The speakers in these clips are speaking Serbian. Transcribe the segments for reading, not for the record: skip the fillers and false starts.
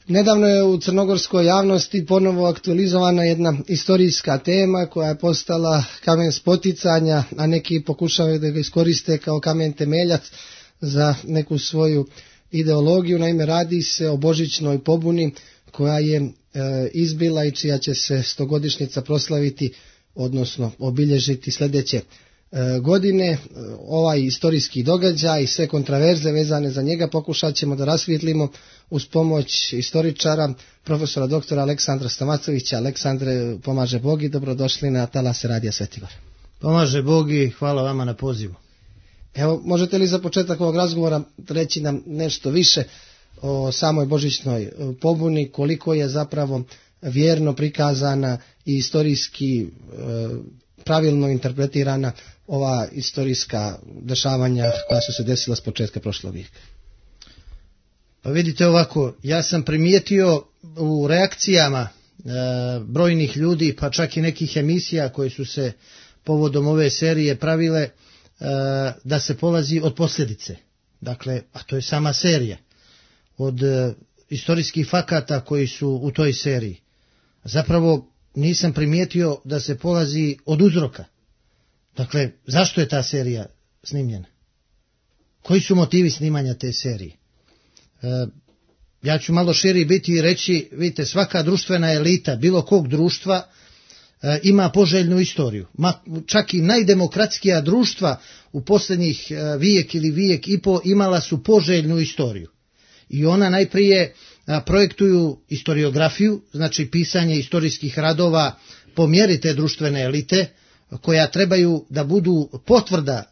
Nedavno je u crnogorskoj javnosti ponovo aktualizovana jedna istorijska tema koja je postala kamen spoticanja, a neki pokušavaju da ga iskoriste kao kamen temeljac za neku svoju ideologiju. Naime, radi se o božićnoj pobuni koja je izbila i čija će se 100-godišnjica proslaviti, odnosno obilježiti sljedeće godine. Ovaj istorijski događaj i sve kontraverze vezane za njega pokušat ćemo da rasvijetlimo uz pomoć istoričara, profesora doktora Aleksandra Stamacovića. Aleksandre, pomaže Bog i dobrodošli na talase Radija Svetigor. Pomaže Bog i hvala vama na pozivu. Evo, možete li za početak ovog razgovora reći nam nešto više o samoj božićnoj pobuni, koliko je zapravo vjerno prikazana i istorijski pravilno interpretirana ova istorijska dešavanja koja su se desila s početka prošlog vijeka? Pa vidite ovako, ja sam primijetio u reakcijama brojnih ljudi, pa čak i nekih emisija koje su se povodom ove serije pravile, da se polazi od posljedice. Dakle, a to je sama serija. Od istorijskih fakata koji su u toj seriji. Zapravo nisam primijetio da se polazi od uzroka. Dakle, zašto je ta serija snimljena? Koji su motivi snimanja te serije? Ja ću malo širi biti i reći, vidite, svaka društvena elita bilo kog društva ima poželjnu istoriju. Čak i najdemokratskija društva u posljednjih vijek ili vijek i po imala su poželjnu istoriju. I ona najprije projektuju historiografiju, znači pisanje istorijskih radova po mjeri te društvene elite, koja trebaju da budu potvrda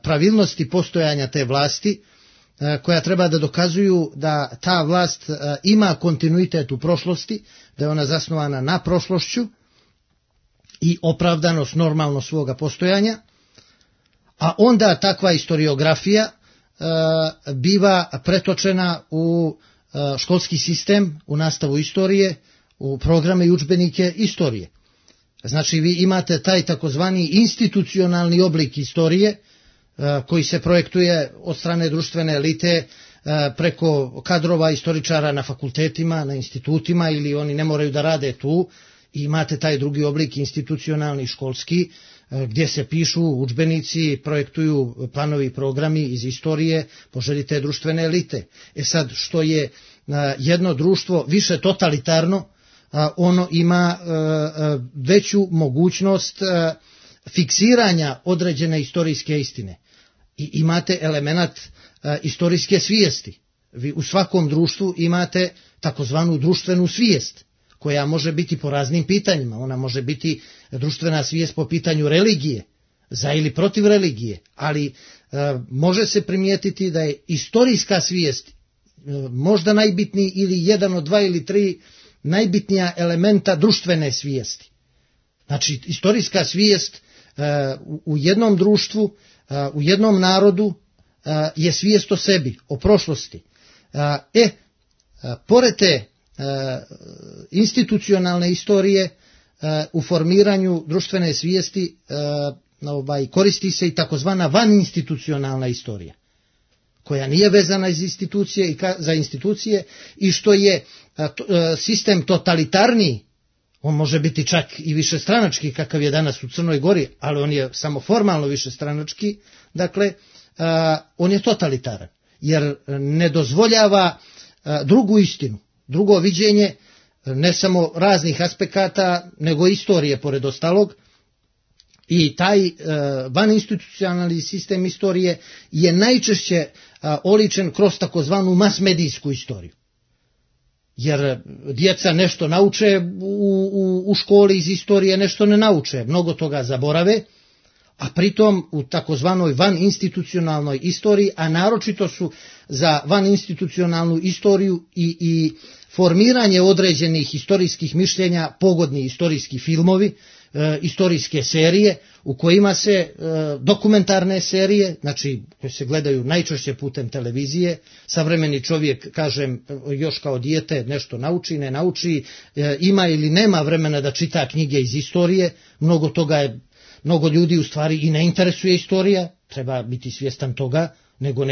pravilnosti postojanja te vlasti, koja treba da dokazuju da ta vlast ima kontinuitet u prošlosti, da je ona zasnovana na prošlošću i opravdanost normalno svoga postojanja, a onda takva historiografija biva pretočena u školski sistem, u nastavu istorije, u programe i udžbenike istorije. Znači vi imate taj takozvani institucionalni oblik istorije koji se projektuje od strane društvene elite preko kadrova istoričara na fakultetima, na institutima, ili oni ne moraju da rade tu. I imate taj drugi oblik institucionalni školski gdje se pišu udžbenici, projektuju planovi i programi iz istorije po želji te društvene elite. Sad, što je jedno društvo više totalitarno, ono ima veću mogućnost fiksiranja određene istorijske istine. I imate element istorijske svijesti. Vi u svakom društvu imate takozvanu društvenu svijest, koja može biti po raznim pitanjima. Ona može biti društvena svijest po pitanju religije, za ili protiv religije, ali može se primijetiti da je istorijska svijest možda najbitniji ili jedan od 2 ili 3 najbitnija elementa društvene svijesti. Znači, istorijska svijest u jednom društvu, u jednom narodu je svijest o sebi, o prošlosti. Pored te institucionalne istorije u formiranju društvene svijesti koristi se i takozvana vaninstitucionalna istorija, koja nije vezana za institucije i što je sistem totalitarniji. On može biti čak i višestranački kakav je danas u Crnoj Gori, ali on je samo formalno višestranački. Dakle, on je totalitaran jer ne dozvoljava drugu istinu, drugo viđenje ne samo raznih aspekata, nego istorije pored ostalog. I taj vaninstitucionalni sistem istorije je najčešće oličen kroz takozvanu masmedijsku istoriju. Jer djeca nešto nauče u školi iz istorije, nešto ne nauče, mnogo toga zaborave, a pritom u takozvanoj vaninstitucionalnoj istoriji, a naročito su za vaninstitucionalnu istoriju i formiranje određenih historijskih mišljenja pogodni istorijski filmovi, istorijske serije u kojima se dokumentarne serije, znači koje se gledaju najčešće putem televizije. Savremeni čovjek, kažem, još kao dijete nešto nauči, ne nauči, ima ili nema vremena da čita knjige iz istorije. Mnogo ljudi u stvari i ne interesuje istorija, treba biti svjestan toga, nego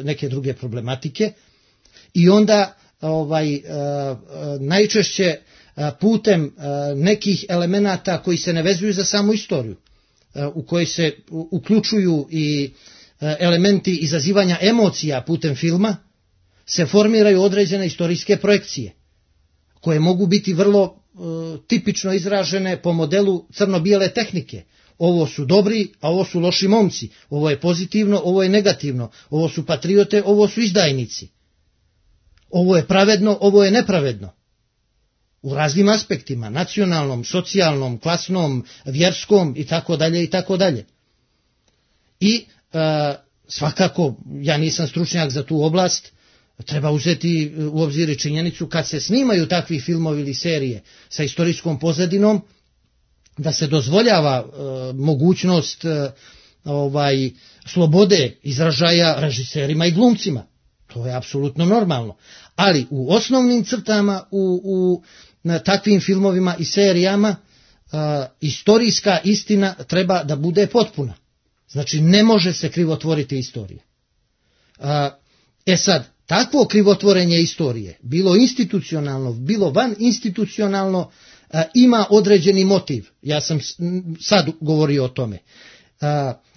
neke druge problematike. I onda najčešće putem nekih elemenata koji se ne vezuju za samu istoriju, u kojoj se uključuju i elementi izazivanja emocija putem filma, se formiraju određene istorijske projekcije, koje mogu biti vrlo tipično izražene po modelu crno-bijele tehnike. Ovo su dobri, a ovo su loši momci. Ovo je pozitivno, ovo je negativno. Ovo su patriote, ovo su izdajnici. Ovo je pravedno, ovo je nepravedno. U raznim aspektima, nacionalnom, socijalnom, klasnom, vjerskom i tako dalje i tako dalje. I svakako, ja nisam stručnjak za tu oblast, treba uzeti u obzir i činjenicu kad se snimaju takvi filmovi ili serije sa istorijskom pozadinom, da se dozvoljava mogućnost slobode izražaja režiserima i glumcima. To je apsolutno normalno. Ali u osnovnim crtama u takvim filmovima i serijama istorijska istina treba da bude potpuna. Znači ne može se krivotvoriti istorija. Sad, takvo krivotvorenje istorije, bilo institucionalno, bilo van institucionalno, ima određeni motiv. Ja sam sad govorio o tome.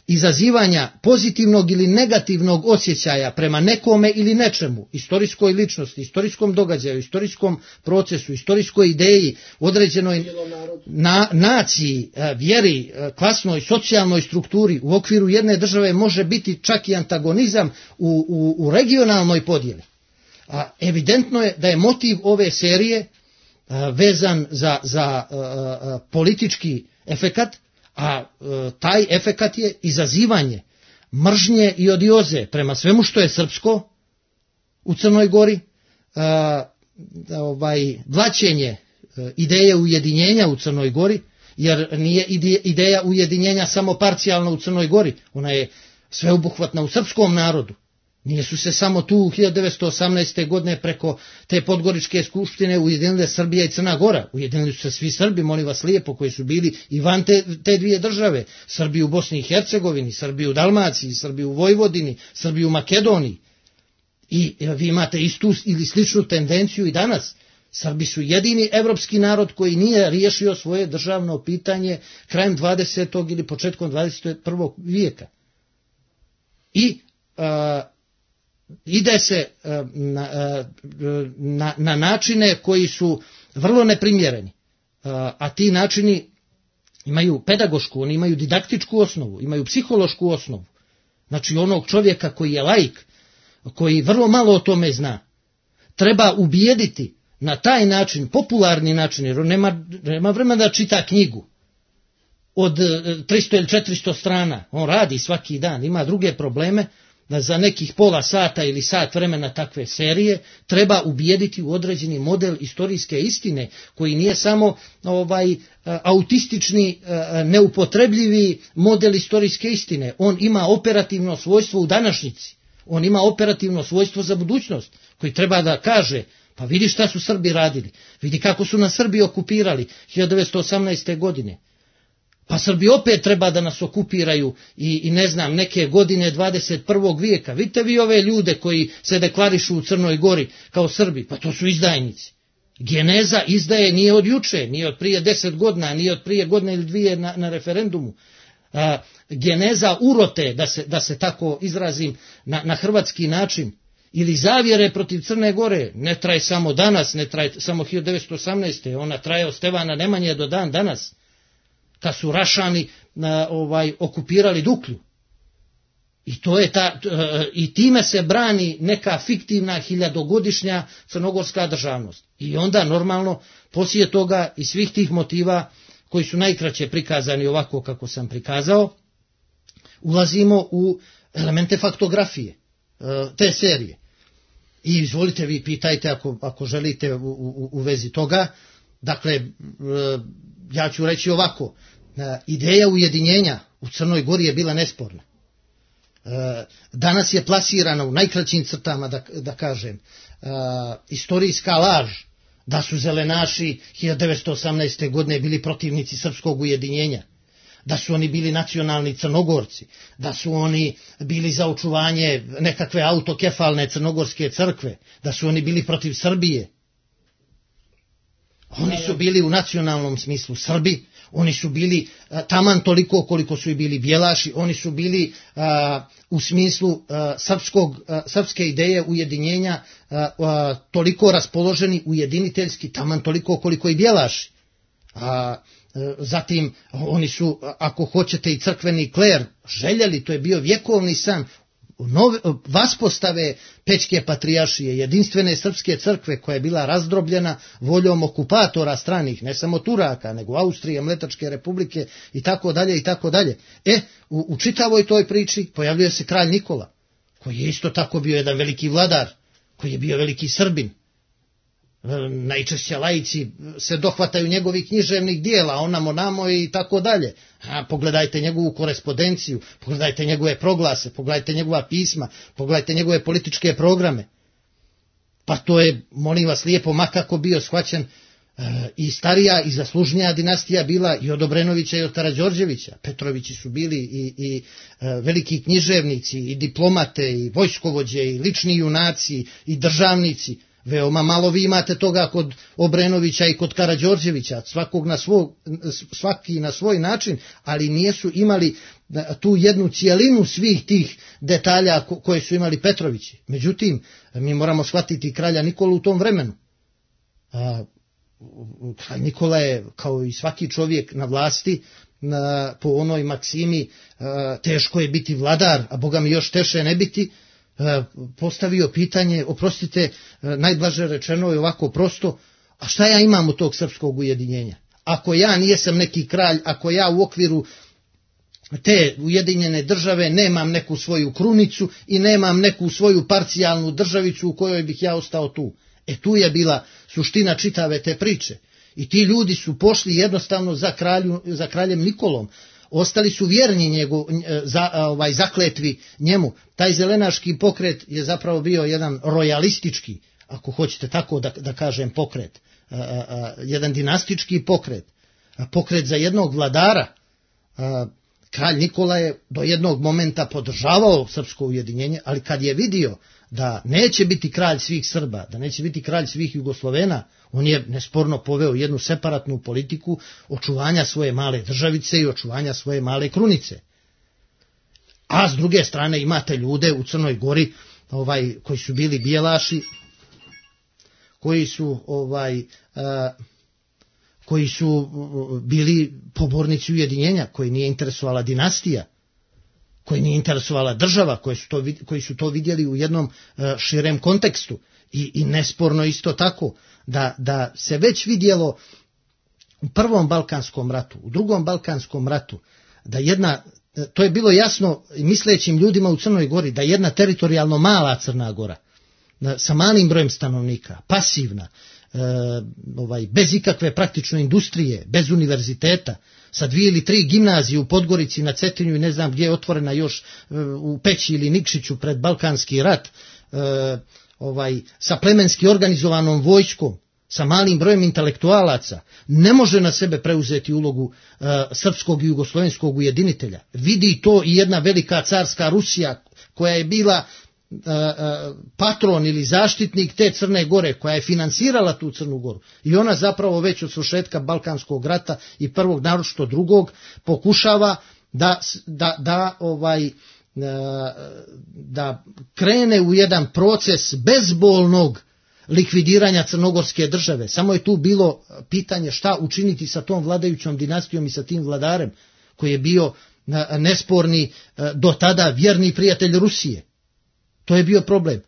Izazivanja pozitivnog ili negativnog osjećaja prema nekome ili nečemu, istorijskoj ličnosti, istorijskom događaju, istorijskom procesu, istorijskoj ideji, određenoj naciji, vjeri, klasnoj, socijalnoj strukturi u okviru jedne države može biti čak i antagonizam u regionalnoj podjeli. Evidentno je da je motiv ove serije vezan za politički efekat, a taj efekat je izazivanje mržnje i odioze prema svemu što je srpsko u Crnoj Gori, blaćenje ideje ujedinjenja u Crnoj Gori, jer nije ideja ujedinjenja samo parcijalna u Crnoj Gori, ona je sveobuhvatna u srpskom narodu. Nisu se samo tu 1918. godine preko te Podgoričke skupštine ujedinile Srbija i Crna Gora. Ujedinili su se svi Srbi, molim vas lijepo, koji su bili i van te dvije države. Srbi u Bosni i Hercegovini, Srbi u Dalmaciji, Srbi u Vojvodini, Srbi u Makedoniji. I vi imate istu ili sličnu tendenciju i danas. Srbi su jedini evropski narod koji nije riješio svoje državno pitanje krajem 20. ili početkom 21. vijeka. I ide se na načine koji su vrlo neprimjereni, a ti načini imaju pedagošku, oni imaju didaktičku osnovu, imaju psihološku osnovu. Znači onog čovjeka koji je laik, koji vrlo malo o tome zna, treba ubijediti na taj način, popularni način, jer on nema vremena da čita knjigu od 300 ili 400 strana, on radi svaki dan, ima druge probleme, da za nekih pola sata ili sat vremena takve serije treba ubijediti u određeni model istorijske istine, koji nije samo autistični, neupotrebljivi model istorijske istine. On ima operativno svojstvo u današnjici, on ima operativno svojstvo za budućnost, koji treba da kaže, pa vidi šta su Srbi radili, vidi kako su nas Srbi okupirali 1918. godine. Pa Srbi opet treba da nas okupiraju i ne znam, neke godine 21. vijeka. Vidite vi ove ljude koji se deklarišu u Crnoj Gori kao Srbi, pa to su izdajnici. Geneza izdaje nije od juče, nije od prije 10 godina, nije od prije godine ili dvije na referendumu. Geneza urote, da se tako izrazim, na hrvatski način, ili zavjere protiv Crne Gore, ne traje samo danas, ne traje samo 1918. Ona traje od Stevana Nemanje do dan danas, kad su Rašani okupirali Duklju. I to je i time se brani neka fiktivna hiljadogodišnja crnogorska državnost. I onda normalno poslije toga i svih tih motiva koji su najkraće prikazani ovako kako sam prikazao, ulazimo u elemente faktografije te serije. I izvolite vi, pitajte ako želite u vezi toga. Dakle, ja ću reći ovako, ideja ujedinjenja u Crnoj Gori je bila nesporna. Danas je plasirana u najkraćim crtama, da kažem, istorijska laž da su zelenaši 1918. godine bili protivnici srpskog ujedinjenja, da su oni bili nacionalni Crnogorci, da su oni bili za očuvanje nekakve autokefalne crnogorske crkve, da su oni bili protiv Srbije. Oni su bili u nacionalnom smislu Srbi, oni su bili taman toliko koliko su i bili Bjelaši, oni su bili u smislu srpske ideje ujedinjenja toliko raspoloženi ujediniteljski, taman toliko koliko i Bjelaši. Zatim oni su, ako hoćete, i crkveni kler željeli, to je bio vjekovni san, vaspostave Pećke patrijaršije, jedinstvene srpske crkve koja je bila razdrobljena voljom okupatora stranih, ne samo Turaka, nego Austrije, Mletačke republike i tako dalje i tako dalje. U čitavoj toj priči pojavljuje se kralj Nikola, koji je isto tako bio jedan veliki vladar, koji je bio veliki Srbin. Najčešće laici se dohvataju njegovih književnih dijela, onamo i tako dalje. Pogledajte njegovu korespondenciju, pogledajte njegove proglase, pogledajte njegova pisma, pogledajte njegove političke programe. Pa to je, molim vas lijepo, makako bio shvaćen i starija i zaslužnija dinastija bila i od Obrenovića i od Karađorđevića. Petrovići su bili i veliki književnici, i diplomate, i vojskovođe, i lični junaci, i državnici. Veoma malo vi imate toga kod Obrenovića i kod Karađorđevića, svaki na svoj način, ali nisu imali tu jednu cijelinu svih tih detalja koje su imali Petrovići. Međutim, mi moramo shvatiti kralja Nikolu u tom vremenu. Kralj Nikola je, kao i svaki čovjek na vlasti, po onoj maksimi teško je biti vladar, a Boga mi još teže ne biti, postavio pitanje, oprostite, najblaže rečeno je ovako prosto, a šta ja imam od tog srpskog ujedinjenja? Ako ja nijesam neki kralj, ako ja u okviru te ujedinjene države nemam neku svoju krunicu i nemam neku svoju parcijalnu državicu u kojoj bih ja ostao tu. Tu je bila suština čitave te priče. I ti ljudi su pošli jednostavno za kraljem Nikolom. Ostali su vjerni zakletvi njemu. Taj zelenaški pokret je zapravo bio jedan rojalistički, ako hoćete tako da kažem, pokret. Jedan dinastički pokret. Pokret za jednog vladara. Kralj Nikola je do jednog momenta podržavao srpsko ujedinjenje, ali kad je vidio da neće biti kralj svih Srba, da neće biti kralj svih Jugoslovena, on je nesporno poveo jednu separatnu politiku očuvanja svoje male državice i očuvanja svoje male krunice. A s druge strane imate ljude u Crnoj Gori koji su bili Bjelaši, koji su bili pobornici ujedinjenja, koji nije interesovala dinastija, koji nije interesovala država, koji su to vidjeli u jednom širem kontekstu. I nesporno isto tako da se već vidjelo u Prvom Balkanskom ratu, u Drugom Balkanskom ratu, to je bilo jasno mislećim ljudima u Crnoj Gori, da jedna teritorijalno mala Crna Gora, sa malim brojem stanovnika, pasivna, bez ikakve praktične industrije, bez univerziteta, sa 2 ili 3 gimnazije u Podgorici, na Cetinju i ne znam gdje je otvorena još u Peći ili Nikšiću pred Balkanski rat, sa plemenski organizovanom vojskom, sa malim brojem intelektualaca, ne može na sebe preuzeti ulogu srpskog i jugoslovenskog ujedinitelja. Vidi to i jedna velika carska Rusija, koja je bila patron ili zaštitnik te Crne Gore, koja je finansirala tu Crnu Goru, i ona zapravo već od svršetka Balkanskog rata i prvog, naročito drugog, pokušava da krene u jedan proces bezbolnog likvidiranja crnogorske države. Samo je tu bilo pitanje šta učiniti sa tom vladajućom dinastijom i sa tim vladarem, koji je bio nesporni do tada vjerni prijatelj Rusije. To je bio problem.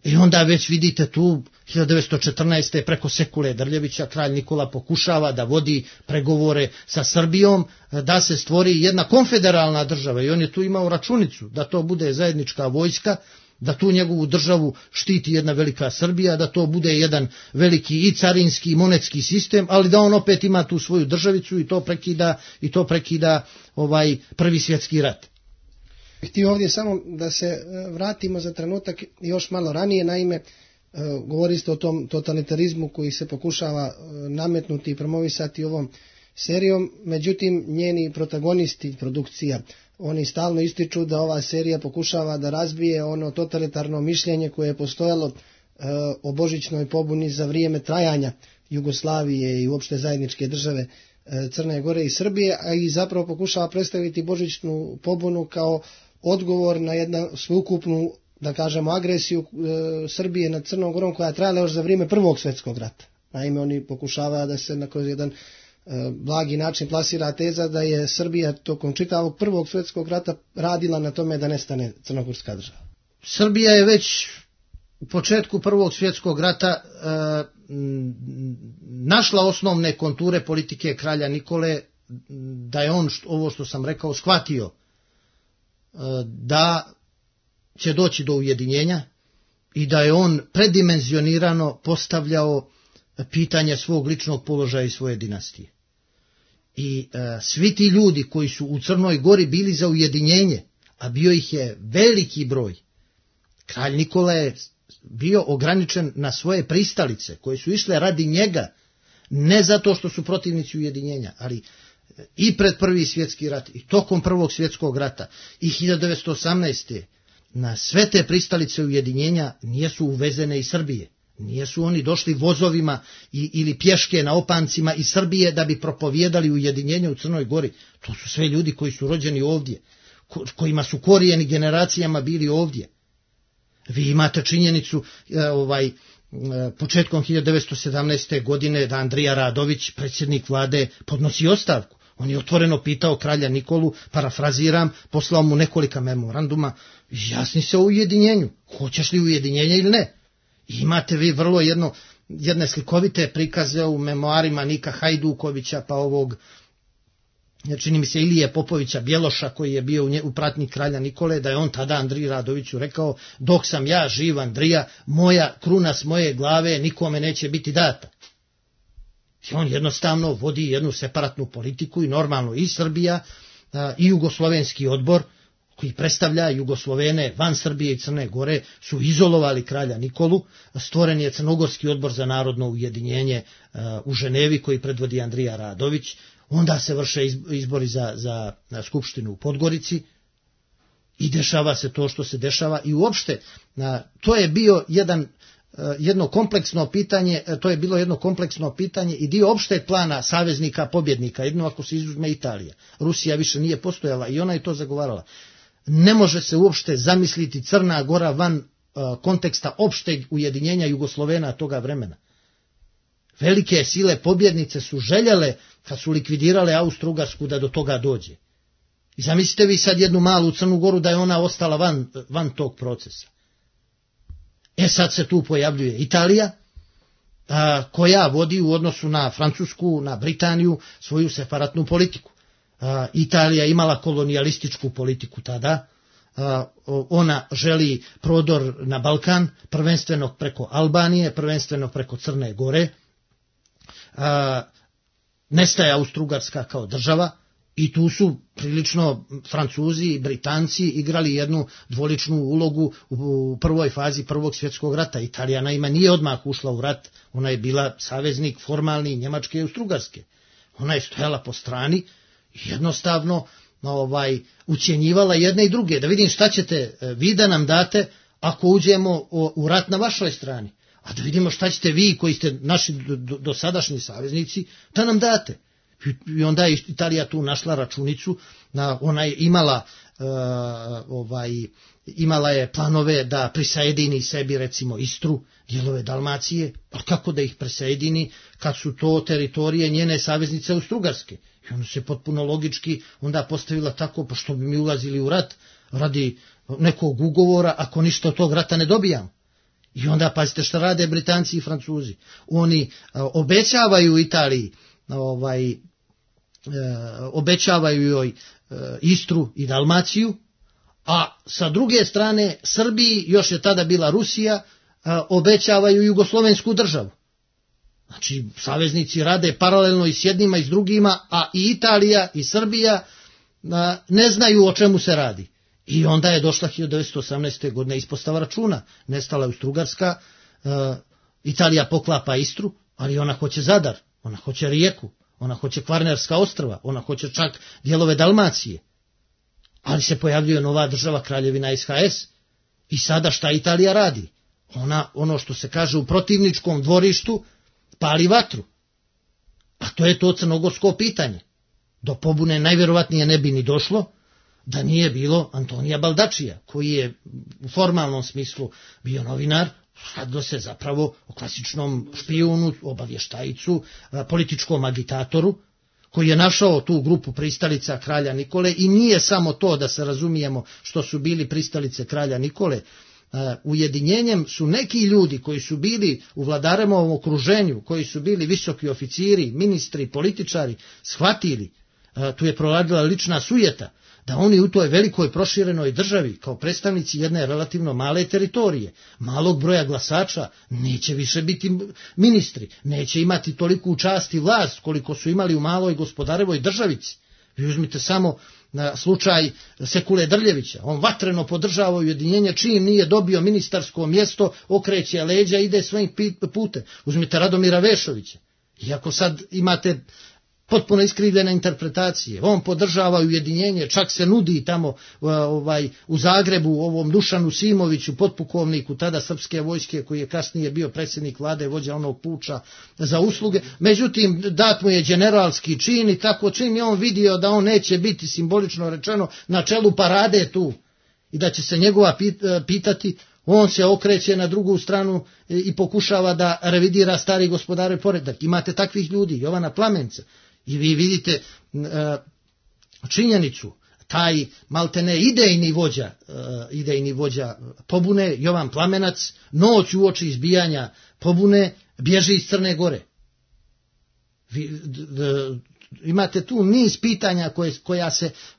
I onda već vidite tu 1914. preko Sekule Drljevića kralj Nikola pokušava da vodi pregovore sa Srbijom, da se stvori jedna konfederalna država, i on je tu imao računicu da to bude zajednička vojska, da tu njegovu državu štiti jedna velika Srbija, da to bude jedan veliki i carinski i monetski sistem, ali da on opet ima tu svoju državicu i to prekida Prvi svjetski rat. Htio ovdje samo da se vratimo za trenutak još malo ranije, naime govorili ste o tom totalitarizmu koji se pokušava nametnuti i promovisati u ovom serijom, međutim njeni protagonisti produkcija, oni stalno ističu da ova serija pokušava da razbije ono totalitarno mišljenje koje je postojalo o božićnoj pobuni za vrijeme trajanja Jugoslavije i uopšte zajedničke države Crne Gore i Srbije, a i zapravo pokušava predstaviti božićnu pobunu kao odgovor na jednu sveukupnu, da kažemo, agresiju Srbije nad Crnom Gorom koja je trajala još za vrijeme Prvog svjetskog rata. Naime, oni pokušavaju da se kroz jedan blagi način plasira teza da je Srbija tokom čitavog Prvog svjetskog rata radila na tome da nestane crnogorska država. Srbija je već u početku Prvog svjetskog rata našla osnovne konture politike kralja Nikole, da je on ovo što sam rekao shvatio da će doći do ujedinjenja i da je on predimenzionirano postavljao pitanje svog ličnog položaja i svoje dinastije. I svi ti ljudi koji su u Crnoj Gori bili za ujedinjenje, a bio ih je veliki broj, kralj Nikola je bio ograničen na svoje pristalice koje su išle radi njega, ne zato što su protivnici ujedinjenja, ali i pred Prvi svjetski rat i tokom Prvog svjetskog rata i 1918. na sve te pristalice ujedinjenja nijesu uvezene iz Srbije. Nijesu oni došli vozovima ili pješke na opancima iz Srbije da bi propovijedali ujedinjenje u Crnoj Gori. To su sve ljudi koji su rođeni ovdje, kojima su korijeni generacijama bili ovdje. Vi imate činjenicu početkom 1917. godine da Andrija Radović, predsjednik vlade, podnosi ostavku. On je otvoreno pitao kralja Nikolu, parafraziram, poslao mu nekolika memoranduma, izjasni se o ujedinjenju, hoćeš li ujedinjenje ili ne. I imate vi vrlo jedne slikovite prikaze u memoarima Nika Hajdukovića, pa ovog, čini mi se, Ilije Popovića Bjeloša, koji je bio u pratnji kralja Nikole, da je on tada Andriji Radoviću rekao: dok sam ja živ, Andrija, moja kruna s moje glave nikome neće biti data. I on jednostavno vodi jednu separatnu politiku i normalno i Srbija i Jugoslovenski odbor, koji predstavlja Jugoslovene van Srbije i Crne Gore, su izolovali kralja Nikolu. Stvoren je Crnogorski odbor za narodno ujedinjenje u Ženevi, koji predvodi Andrija Radović. Onda se vrše izbori za skupštinu u Podgorici i dešava se to što se dešava. I uopšte to je bio jedno kompleksno pitanje i dio opšteg plana saveznika pobjednika, jedno ako se izuzme Italija. Rusija više nije postojala i ona je to zagovarala. Ne može se uopšte zamisliti Crna Gora van konteksta opšteg ujedinjenja Jugoslovena toga vremena. Velike sile pobjednice su željele, kad su likvidirale Austro-Ugarsku, da do toga dođe. I zamislite vi sad jednu malu Crnu Goru da je ona ostala van tog procesa. Sad se tu pojavljuje Italija, koja vodi u odnosu na Francusku, na Britaniju, svoju separatnu politiku. Italija imala kolonijalističku politiku tada, ona želi prodor na Balkan, prvenstveno preko Albanije, prvenstveno preko Crne Gore, nestaje Austro-Ugarska kao država i tu su prilično Francuzi i Britanci igrali jednu dvoličnu ulogu u prvoj fazi Prvog svjetskog rata. Italija naime nije odmah ušla u rat, ona je bila saveznik formalni Njemačke i Austro-Ugarske. Ona je stojala po strani i jednostavno ucjenjivala jedne i druge, da vidim šta ćete vi da nam date ako uđemo u rat na vašoj strani, a da vidimo šta ćete vi koji ste naši dosadašnji saveznici da nam date. I onda je Italija tu našla računicu, ona je imala je planove da prisajedini sebi recimo Istru, dijelove Dalmacije, pa kako da ih prisajedini kad su to teritorije njene saveznice Austro-Ugarske. I ono se potpuno logički onda postavila tako, pa što bi mi ulazili u rat radi nekog ugovora ako ništa od tog rata ne dobijamo. I onda pazite šta rade Britanci i Francuzi. Oni obećavaju Italiji, obećavaju joj Istru i Dalmaciju, a sa druge strane Srbiji, još je tada bila Rusija, obećavaju Jugoslovensku državu. Znači, saveznici rade paralelno i s jednima i s drugima, a i Italija i Srbija ne znaju o čemu se radi. I onda je došla 1918. godine ispostava računa. Nestala je Austro-Ugarska, Italija poklapa Istru, ali ona hoće Zadar, ona hoće Rijeku, ona hoće Kvarnerska ostrva, ona hoće čak dijelove Dalmacije. Ali se pojavljuje nova država, Kraljevina SHS. I sada šta Italija radi? Ona, ono što se kaže u protivničkom dvorištu, pali vatru. A to je to crnogorsko pitanje. Do pobune najvjerovatnije ne bi ni došlo da nije bilo Antonija Baldačija, koji je u formalnom smislu bio novinar, radilo se zapravo o klasičnom špijunu, obavještajicu, političkom agitatoru, koji je našao tu grupu pristalica kralja Nikole. I nije samo to, da se razumijemo, što su bili pristalice kralja Nikole. Ujedinjenjem su neki ljudi koji su bili u Vladaremovom okruženju, koji su bili visoki oficiri, ministri, političari, shvatili, tu je proradila lična sujeta, da oni u toj velikoj proširenoj državi, kao predstavnici jedne relativno male teritorije, malog broja glasača, neće više biti ministri, neće imati toliku čast i vlast koliko su imali u maloj Gospodarevoj državici. Vi uzmite samo na slučaj Sekule Drljevića, on vatreno podržava ujedinjenje, čim nije dobio ministarsko mjesto, okreće leđa, ide svojim putem. Uzmite Radomira Vešovića, iako sad imate potpuno iskrivljene interpretacije, on podržava ujedinjenje, čak se nudi tamo u Zagrebu ovom Dušanu Simoviću, potpukovniku tada srpske vojske, koji je kasnije bio predsjednik vlade, vođa onog puča, za usluge. Međutim, dat mu je generalski čin i tako, čim je on vidio da on neće biti, simbolično rečeno, na čelu parade tu i da će se njegova pitati, on se okreće na drugu stranu i pokušava da revidira stari gospodarev poredak. Imate takvih ljudi, Jovana Plamenca. I vi vidite činjenicu, taj maltene idejni vođa pobune, Jovan Plamenac, noć uoči izbijanja pobune bježi iz Crne Gore. Imate tu niz pitanja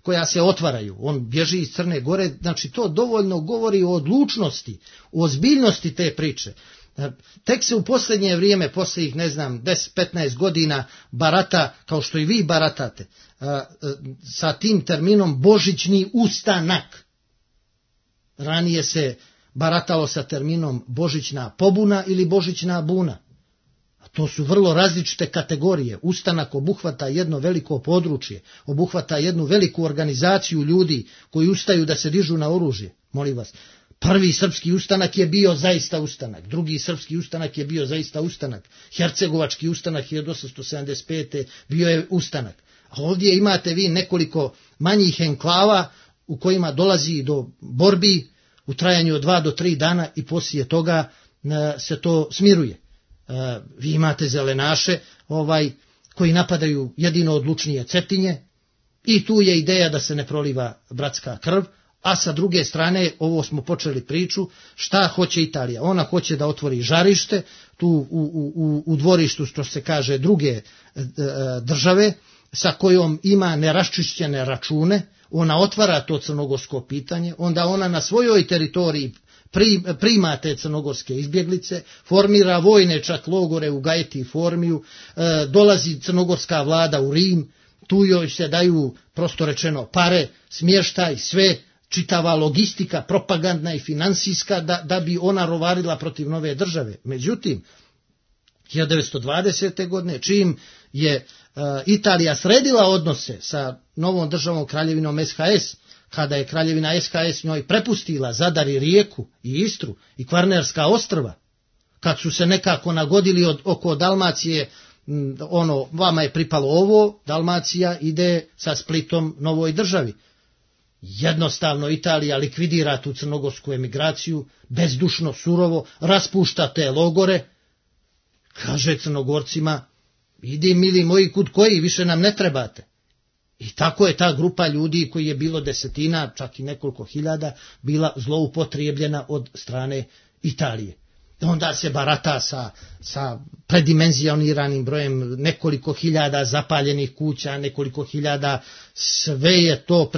koja se otvaraju. On bježi iz Crne Gore, znači to dovoljno govori o odlučnosti, o ozbiljnosti te priče. Tek se u posljednje vrijeme, posljednjih 10-15 godina barata, kao što i vi baratate, sa tim terminom božićni ustanak. Ranije se baratalo sa terminom božićna pobuna ili božićna buna. A to su vrlo različite kategorije. Ustanak obuhvata jedno veliko područje, obuhvata jednu veliku organizaciju ljudi koji ustaju da se dižu na oružje. Molim vas. Prvi srpski ustanak je bio zaista ustanak, drugi srpski ustanak je bio zaista ustanak, Hercegovački ustanak 1875. bio je ustanak. A ovdje imate vi nekoliko manjih enklava u kojima dolazi do borbi u trajanju od 2 do 3 dana i poslije toga se to smiruje. Vi imate zelenaše koji napadaju jedino odlučnije Cetinje i tu je ideja da se ne proliva bratska krv. A sa druge strane, ovo smo počeli priču, šta hoće Italija? Ona hoće da otvori žarište, tu u dvorištu, što se kaže, druge države, sa kojom ima neraščišćene račune, ona otvara to crnogorsko pitanje, onda ona na svojoj teritoriji prima te crnogorske izbjeglice, formira vojne čak logore u Gajeti i Formiju, dolazi crnogorska vlada u Rim, tu joj se daju, prosto rečeno, pare, smještaj, sve, čitava logistika, propagandna i finansijska, da bi ona rovarila protiv nove države. Međutim, 1920. godine, čim je Italija sredila odnose sa novom državom kraljevinom SHS, kada je kraljevina SHS njoj prepustila Zadar i Rijeku i Istru i Kvarnerska ostrva, kad su se nekako nagodili oko Dalmacije, vama je pripalo ovo, Dalmacija ide sa Splitom novoj državi. Jednostavno Italija likvidira tu crnogorsku emigraciju, bezdušno, surovo, raspušta te logore, kaže Crnogorcima, idi mili moji kud koji, više nam ne trebate. I tako je ta grupa ljudi, koji je bilo desetina, čak i nekoliko hiljada, bila zloupotrijebljena od strane Italije. Onda se barata sa predimenzioniranim brojem, nekoliko hiljada zapaljenih kuća, nekoliko hiljada, sve je to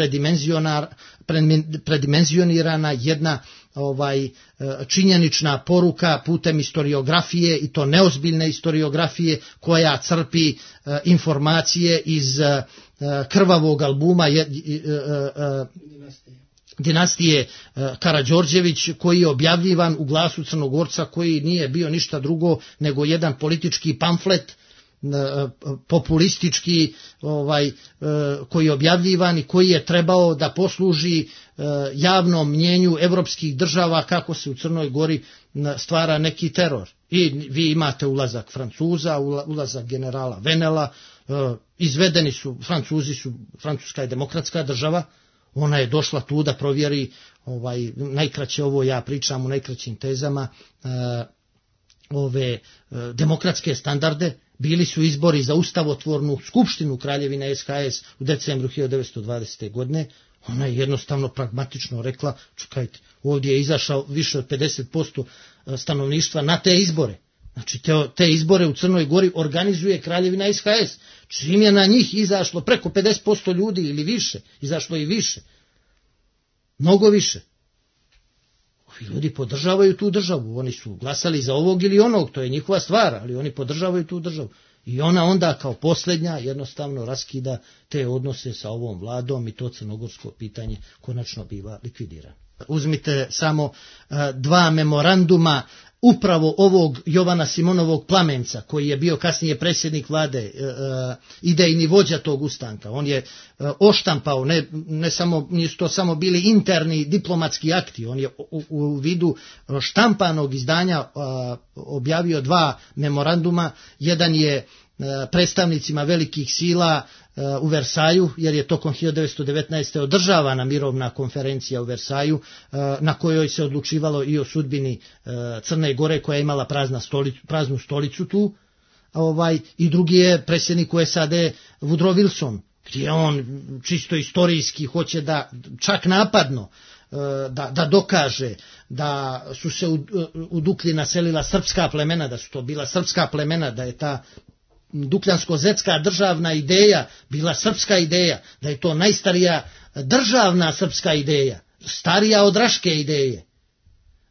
predimenzionirana jedna činjenična poruka putem historiografije, i to neozbiljne historiografije koja crpi informacije iz krvavog albuma dinastije Karađorđević, koji je objavljivan u Glasu Crnogorca, koji nije bio ništa drugo nego jedan politički pamflet populistički koji je objavljivan i koji je trebao da posluži javnom mnjenju evropskih država kako se u Crnoj Gori stvara neki teror. I vi imate ulazak Francuza, ulazak generala Venela, izvedeni su, Francuska je demokratska država, ona je došla tu da provjeri, najkraće ovo ja pričam u najkraćim tezama, ove demokratske standarde. Bili su izbori za ustavotvornu skupštinu Kraljevine SHS u decembru 1920. godine. Ona je jednostavno pragmatično rekla, čekajte, ovdje je izašao više od 50% stanovništva na te izbore. Znači te izbore u Crnoj Gori organizuje Kraljevina SHS. Čim je na njih izašlo preko 50% ljudi ili više, izašlo i više. Mnogo više. Ovi ljudi podržavaju tu državu. Oni su glasali za ovog ili onog, to je njihova stvar, ali oni podržavaju tu državu. I ona onda kao posljednja jednostavno raskida te odnose sa ovom vladom i to crnogorsko pitanje konačno biva likvidirano. Uzmite samo dva memoranduma upravo ovog Jovana Simonovog Plamenca, koji je bio kasnije predsjednik vlade, idejni vođa tog ustanka. On je oštampao, nisu to samo bili interni diplomatski akti, on je u vidu štampanog izdanja objavio dva memoranduma. Jedan je predstavnicima velikih sila u Versaju, jer je tokom 1919. održavana mirovna konferencija u Versaju, na kojoj se odlučivalo i o sudbini Crne Gore, koja je imala praznu stolicu tu. I drugi je predsjednik u SAD Woodrow Wilson, gdje on čisto istorijski hoće da čak napadno da dokaže da su se u Duklji naselila srpska plemena, da su to bila srpska plemena, da je ta dukljansko-zetska državna ideja bila srpska ideja, da je to najstarija državna srpska ideja, starija od Raške ideje,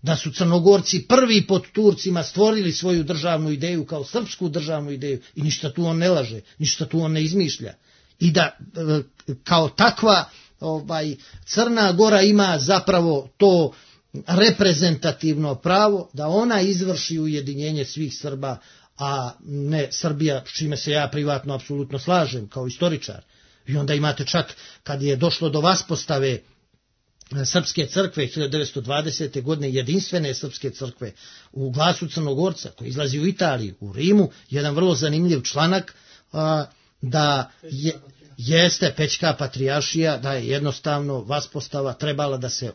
da su Crnogorci prvi pod Turcima stvorili svoju državnu ideju kao srpsku državnu ideju i ništa tu on ne laže, ništa tu on ne izmišlja. I da kao takva Crna Gora ima zapravo to reprezentativno pravo da ona izvrši ujedinjenje svih Srba, a ne Srbija, s čime se ja privatno apsolutno slažem kao istoričar. I onda imate čak kad je došlo do vaspostave Srpske crkve 1920. godine, jedinstvene Srpske crkve u Glasu Crnogorca, koji izlazi u Italiji, u Rimu, jedan vrlo zanimljiv članak da jeste Pećka patrijaršija, da je jednostavno vaspostava trebala da se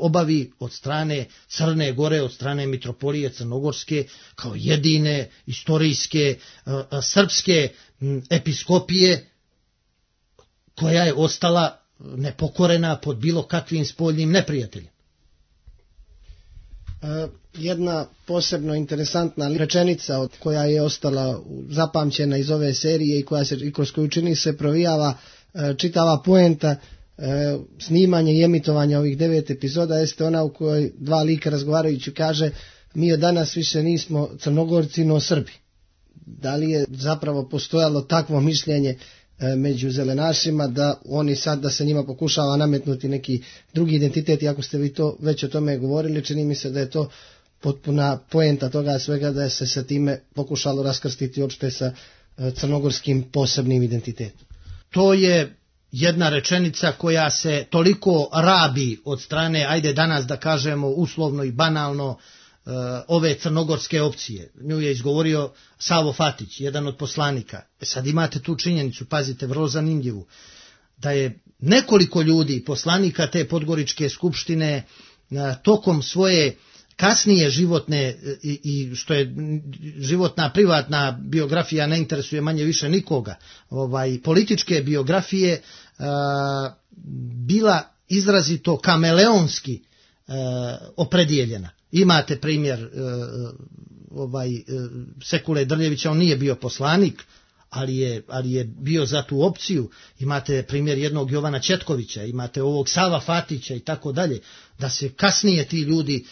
obavi od strane Crne Gore, od strane mitropolije Crnogorske, kao jedine istorijske srpske episkopije, koja je ostala nepokorena pod bilo kakvim spoljnim neprijateljem. Jedna posebno interesantna rečenica koja je ostala zapamćena iz ove serije i kroz koju čini se provijava čitava poenta snimanja i emitovanja ovih 9 epizoda jeste ona u kojoj dva lika razgovarajući kaže: mi od danas više nismo Crnogorci no Srbi. Da li je zapravo postojalo takvo mišljenje među zelenašima da oni sad, da se njima pokušava nametnuti neki drugi identitet, iako ste vi to već o tome govorili, čini mi se da je to potpuna poenta toga svega, da je se sa time pokušalo raskrstiti uopšte sa crnogorskim posebnim identitetom. To je jedna rečenica koja se toliko rabi od strane, ajde danas da kažemo uslovno i banalno, ove crnogorske opcije. Nju je izgovorio Savo Fatić, jedan od poslanika. Sad imate tu činjenicu, pazite, vrlo zanimljivu, da je nekoliko ljudi, poslanika te Podgoričke skupštine, tokom svoje kasnije životne i što je životna privatna biografija ne interesuje manje više nikoga, političke biografije, bila izrazito kameleonski opredijeljena. Imate primjer Sekule Drljevića, on nije bio poslanik, ali je bio za tu opciju. Imate primjer jednog Jovana Četkovića, imate ovog Sava Fatića i tako dalje, da se kasnije ti ljudi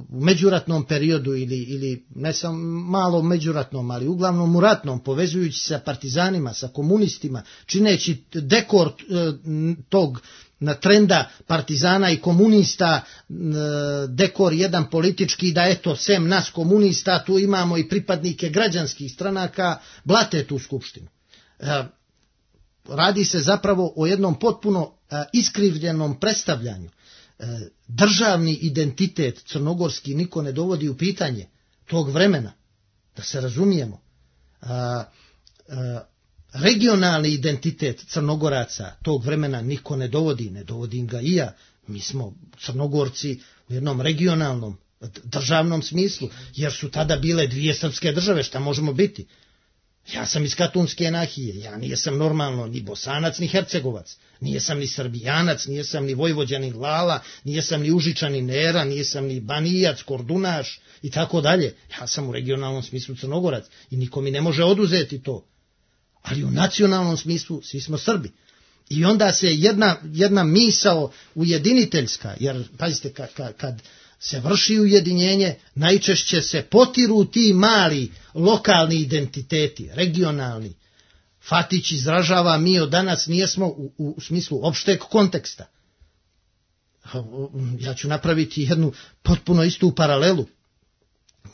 u međuratnom periodu ili ne samo malo međuratnom, ali uglavnom u ratnom, povezujući se sa partizanima, sa komunistima, čineći dekor tog trenda partizana i komunista, dekor jedan politički, da eto, sem nas komunista, tu imamo i pripadnike građanskih stranaka, blate tu skupštinu. Radi se zapravo o jednom potpuno iskrivljenom predstavljanju. Državni identitet crnogorski niko ne dovodi u pitanje tog vremena, da se razumijemo. Regionalni identitet Crnogoraca tog vremena niko ne dovodim ga i ja. Mi smo Crnogorci u jednom regionalnom, državnom smislu, jer su tada bile dvije srpske države, šta možemo biti? Ja sam iz Katunske nahije, ja nijesam normalno ni Bosanac ni Hercegovac, nijesam ni Srbijanac, nijesam ni Vojvođanin Lala, nijesam ni Užičanin Nera, nijesam ni Banijac, Kordunaš i tako dalje. Ja sam u regionalnom smislu Crnogorac i niko mi ne može oduzeti to. Ali u nacionalnom smislu svi smo Srbi. I onda se jedna misao ujediniteljska, jer pazite kad se vrši ujedinjenje, najčešće se potiru ti mali lokalni identiteti, regionalni. Fatić izražava, mi od danas nijesmo u smislu opšteg konteksta. Ja ću napraviti jednu potpuno istu paralelu.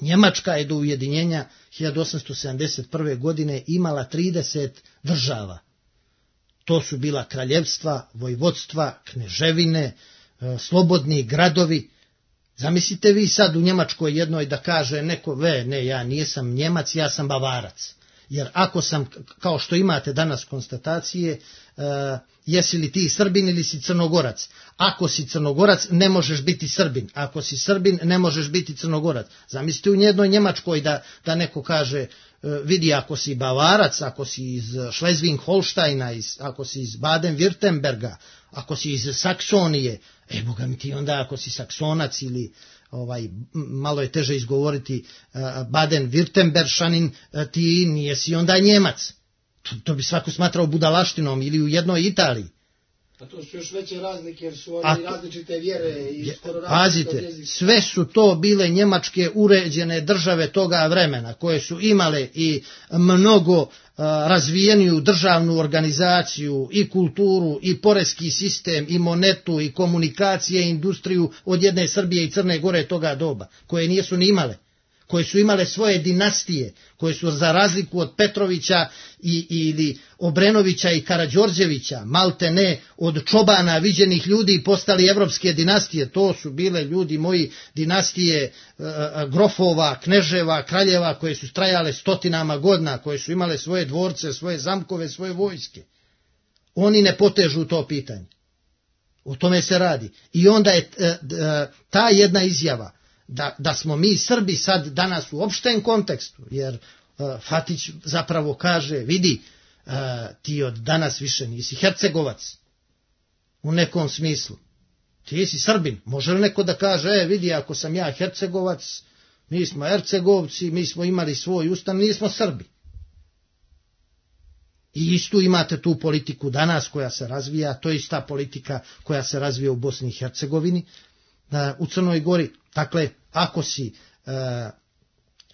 Njemačka je do ujedinjenja 1871. godine imala 30 država. To su bila kraljevstva, vojvodstva, kneževine, slobodni gradovi. Zamislite vi sad u Njemačkoj jednoj da kaže neko, ne, ja nisam Njemac, ja sam Bavarac. Jer ako sam, kao što imate danas konstatacije, jesi li ti Srbin ili si Crnogorac? Ako si Crnogorac, ne možeš biti Srbin. Ako si Srbin, ne možeš biti Crnogorac. Zamislite u jednoj Njemačkoj da neko kaže, vidi, ako si Bavarac, ako si iz Schleswig-Holsteina, ako si iz Baden-Württemberga, ako si iz Saksonije, boga mi ti onda ako si Saksonac ili malo je teže izgovoriti Baden-Württemberšanin, ti nijesi onda Njemac. To bi svako smatrao budalaštinom ili u jednoj Italiji. A to su još veće razlike jer su oni različite vjere i skoro pazite, sve su to bile njemačke uređene države toga vremena koje su imale i mnogo razvijeniju državnu organizaciju i kulturu i poreski sistem i monetu i komunikacije i industriju od jedne Srbije i Crne Gore toga doba, koje nisu ni imale, koje su imale svoje dinastije, koje su za razliku od Petrovića ili Obrenovića i Karađorđevića, malte ne od čobana viđenih ljudi postali evropske dinastije. To su bile, ljudi moji, dinastije grofova, kneževa, kraljeva koje su trajale stotinama godina, koje su imale svoje dvorce, svoje zamkove, svoje vojske. Oni ne potežu to pitanje. O tome se radi. I onda je ta jedna izjava da smo mi Srbi sad danas u opštem kontekstu, jer Fatić zapravo kaže, vidi, ti od danas više nisi Hercegovac u nekom smislu, ti si Srbin. Može li neko da kaže, vidi, ako sam ja Hercegovac, mi smo Hercegovci, mi smo imali svoj ustav, nismo Srbi. I istu imate tu politiku danas koja se razvija, to je ista politika koja se razvija u Bosni i Hercegovini, u Crnoj Gori. Dakle, ako si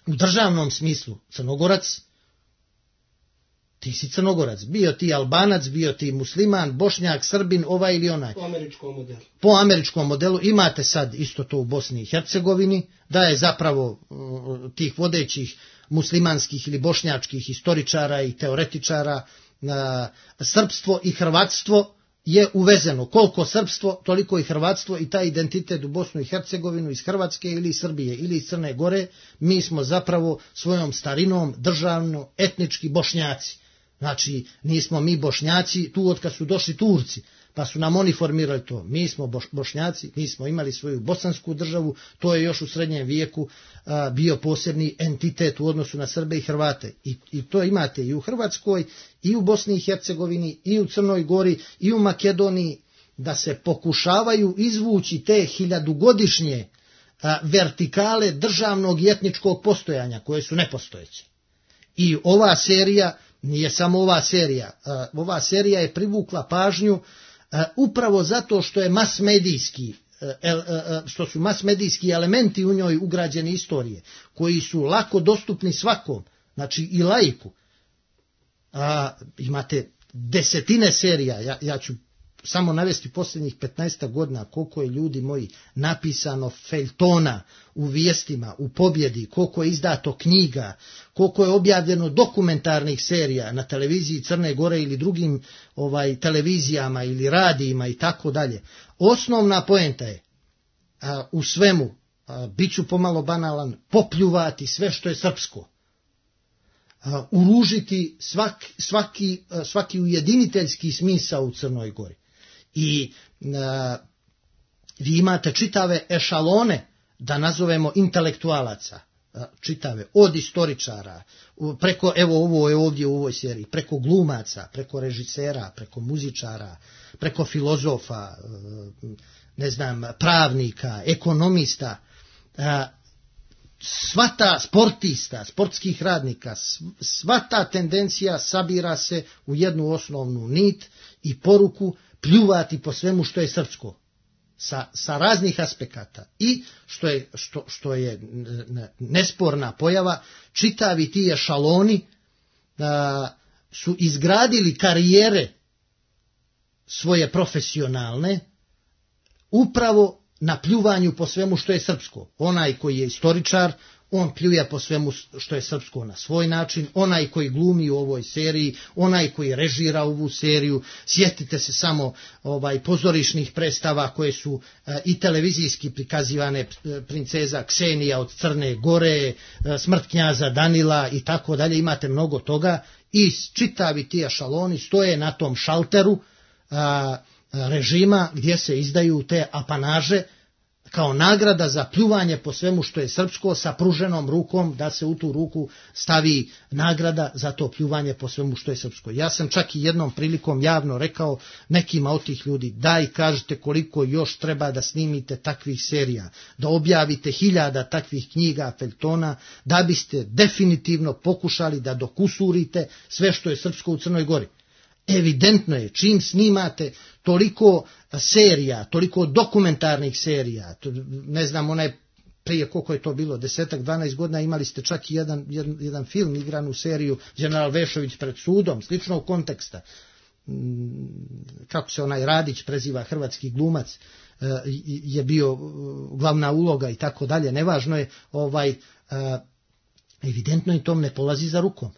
u državnom smislu Crnogorac, ti si Crnogorac. Bio ti Albanac, bio ti musliman, Bošnjak, Srbin, ovaj ili onaj. Po američkom modelu imate sad isto to u Bosni i Hercegovini, da je zapravo tih vodećih muslimanskih ili bošnjačkih historičara i teoretičara srpstvo i hrvatstvo je uvezeno. Koliko srpstvo, toliko i hrvatstvo, i taj identitet u Bosnu i Hercegovinu iz Hrvatske ili iz Srbije ili iz Crne Gore, mi smo zapravo svojom starinom državno etnički Bošnjaci. Znači, nismo mi Bošnjaci tu od kad su došli Turci, pa su nam oni formirali to. Mi smo Bošnjaci, mi smo imali svoju bosansku državu, to je još u srednjem vijeku bio posebni entitet u odnosu na Srbe i Hrvate. I to imate i u Hrvatskoj, i u Bosni i Hercegovini, i u Crnoj Gori, i u Makedoniji, da se pokušavaju izvući te hiljadugodišnje vertikale državnog i etničkog postojanja, koje su nepostojeće. I ova serija, nije samo ova serija je privukla pažnju upravo zato što je masmedijski što su masmedijski elementi u njoj ugrađeni istorije, koji su lako dostupni svakom, znači i laiku. Imate desetine serija, ja ću samo navesti posljednjih 15 godina koliko je, ljudi moji, napisano feljtona u Vijestima, u Pobjedi, koliko je izdato knjiga, koliko je objavljeno dokumentarnih serija na televiziji Crne Gore ili drugim televizijama ili radijima i tako dalje. Osnovna poenta je u svemu, bit ću pomalo banalan, popljuvati sve što je srpsko, uružiti svaki ujediniteljski smisao u Crnoj Gori. I vi imate čitave ešalone, da nazovemo, intelektualaca, čitave, od istoričara, preko, evo ovo je ovdje u ovoj seriji, preko glumaca, preko režisera, preko muzičara, preko filozofa, ne znam, pravnika, ekonomista, sva ta sportista, sportskih radnika, sva ta tendencija sabira se u jednu osnovnu nit i poruku pljuvati po svemu što je srpsko, sa raznih aspekata. I što je nesporna pojava, čitavi ti ešaloni su izgradili karijere svoje profesionalne upravo na pljuvanju po svemu što je srpsko. Onaj koji je istoričar, on pljuje po svemu što je srpsko na svoj način, onaj koji glumi u ovoj seriji, onaj koji režira ovu seriju. Sjetite se samo pozorišnih predstava koje su i televizijski prikazivane, princeza Ksenija od Crne Gore, smrt knjaza Danila i tako dalje, imate mnogo toga i čitavi ti ešaloni stoje na tom šalteru režima gdje se izdaju te apanaže kao nagrada za pljuvanje po svemu što je srpsko, sa pruženom rukom, da se u tu ruku stavi nagrada za to pljuvanje po svemu što je srpsko. Ja sam čak i jednom prilikom javno rekao nekima od tih ljudi, daj kažete koliko još treba da snimite takvih serija, da objavite 1000 takvih knjiga, feljtona, da biste definitivno pokušali da dokusurite sve što je srpsko u Crnoj Gori. Evidentno je, čim snimate toliko serija, toliko dokumentarnih serija, ne znam, prije koliko je to bilo, 10-12 godina, imali ste čak i jedan film, igranu seriju General Vešović pred sudom, sličnog konteksta. Kako se onaj Radić preziva, hrvatski glumac, je bio glavna uloga i tako dalje, nevažno je, evidentno i tom ne polazi za rukom.